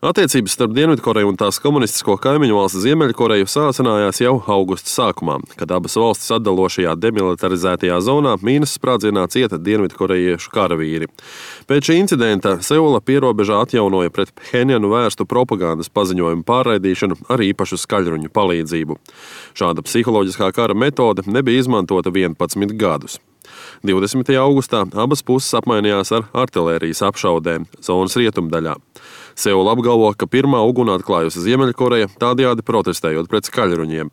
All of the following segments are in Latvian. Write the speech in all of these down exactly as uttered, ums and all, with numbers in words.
Attiecības starp Dienvidkoreju un tās komunistisko kaimiņu valsti Ziemeļkoreju sācinājās jau augusta sākumā, kad abas valstis atdalošajā demilitarizētajā zonā mīnas sprādzienā cieta dienvidkorejiešu karavīri. Pēc šī incidenta Seula pierobežā atjaunoja pret Phenjanu vērstu propagandas paziņojumu pārraidīšanu ar īpašu skaļruņu palīdzību. Šāda psiholoģiskā kara metode nebija izmantota vienpadsmit gadus. divdesmitajā augustā abas puses apmainījās ar artilērijas apšaudēm zonas rietumdaļā. Seula apgalvo, ka pirmā uguni atklājusi Ziemeļkoreja, tādējādi protestējot pret skaļruņiem.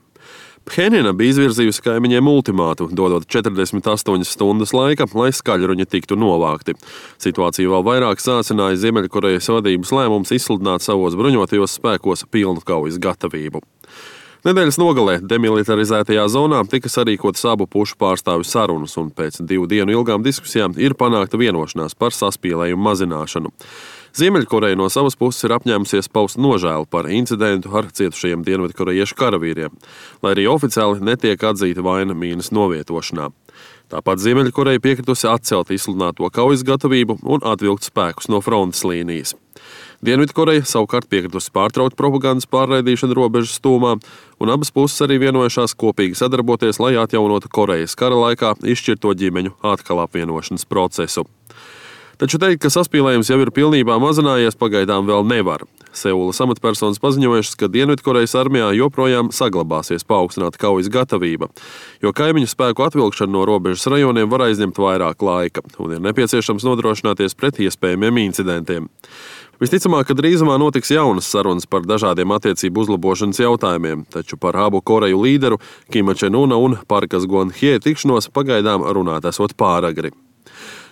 Phenjana bija izvirzījusi kaimiņiem ultimātu, dodot četrdesmit astoņas stundas laika, lai skaļruņi tiktu novākti. Situāciju vēl vairāk sācināja Ziemeļkorejas vadības lēmums izsludināt savos bruņotajos spēkos pilnu kaujas gatavību. Nedēļas nogalē demilitarizētajā zonā tika sarīkotas abu pušu pārstāvju sarunas, un pēc divu dienu ilgām diskusijām ir panākta vienošanās par saspīlējumu mazināšanu. Ziemeļkoreja no savas puses ir apņēmusies paust nožēlu par incidentu ar cietušajiem dienvidkorejiešu karavīriem, lai arī oficiāli netiek atzīta vaina mīnas novietošanā. Tāpat Ziemeļkoreja piekritusi atcelt izsludināto kaujas gatavību un atvilkt spēkus no frontes līnijas. Dienvidkoreja savukārt piekritusi pārtraukt propagandas pārraidīšanu robežas tūmā, un abas puses arī vienojušās kopīgi sadarboties, lai atjaunotu Korejas kara laikā izšķirto ģimeņu atkal apvienošanas procesu. Taču teikt, ka saspīlējums jau ir pilnībā mazinājies, pagaidām vēl nevar. Seulas amatpersonas paziņojušas, ka Dienvidkorejas armijā joprojām saglabāsies paaugstināta kaujas gatavība, jo kaimiņu spēku atvilkšana no robežas rajoniem var aizņemt vairāk laika, un ir nepieciešams nodrošināties pret iespējamiem incidentiem. Visticamāk, ka drīzumā notiks jaunas sarunas par dažādiem attiecību uzlabošanas jautājumiem, taču par abu Koreju līderu Kima Čen-una un Parkas Gon-hye tikšanos pagaidām runāt esot pāragri.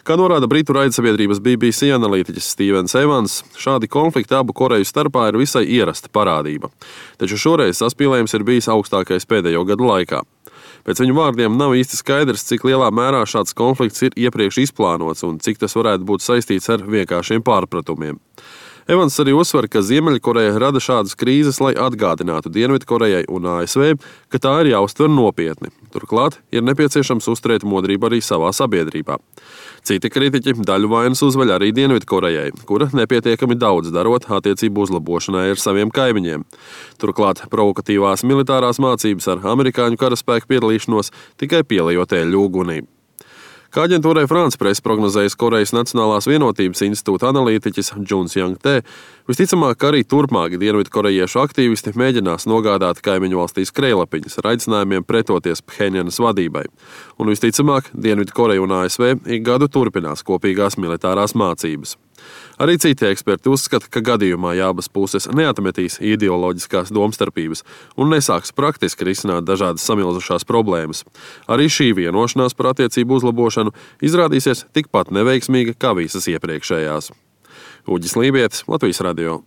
Kā norāda britu raidsabiedrības B B C analītiķis Stevens Evans, šādi konflikti abu Koreju starpā ir visai ierasta parādība. Taču šoreiz saspīlējums ir bijis augstākais pēdējo gadu laikā. Pēc viņu vārdiem nav īsti skaidrs, cik lielā mērā šāds konflikts ir iepriekš izplānots un cik tas varētu būt saistīts ar vienkāršiem pārpratumiem. Evans arī uzsver, ka Ziemeļkoreja rada šādas krīzes, lai atgādinātu Dienvidkorejai un A S V, ka tā ir jāuztver nopietni. Turklāt ir nepieciešams uzturēt modrību arī savā sabiedrībā. Citi kritiķi daļu vainas uzveļ arī Dienvidkorejai, kura nepietiekami daudz darot attiecību uzlabošanai ar saviem kaimiņiem. Turklāt provokatīvās militārās mācības ar amerikāņu karaspēku piedalīšanos tikai pielejot eļļu ugunī. Kā aģentūrai France Press prognozējis Korejas Nacionālās vienotības institūta analītiķis Džuns Jang-te, visticamāk, ka arī turpmāk dienvidkorejiešu aktīvisti mēģinās nogādāt kaimiņu valstīs krējlapiņas ar aicinājumiem pretoties Phenjanas vadībai. Un visticamāk, Dienvidkoreja un A S V ik gadu turpinās kopīgās militārās mācības. Arī citi eksperti uzskata, ka gadījumā, ja abas puses neatmetīs ideoloģiskās domstarpības un nesāks praktiski risināt dažādas samilzušās problēmas, arī šī vienošanās par attiecību uzlabošanu izrādīsies tikpat neveiksmīga kā visas iepriekšējās. Uģis Lībietis, Latvijas radio.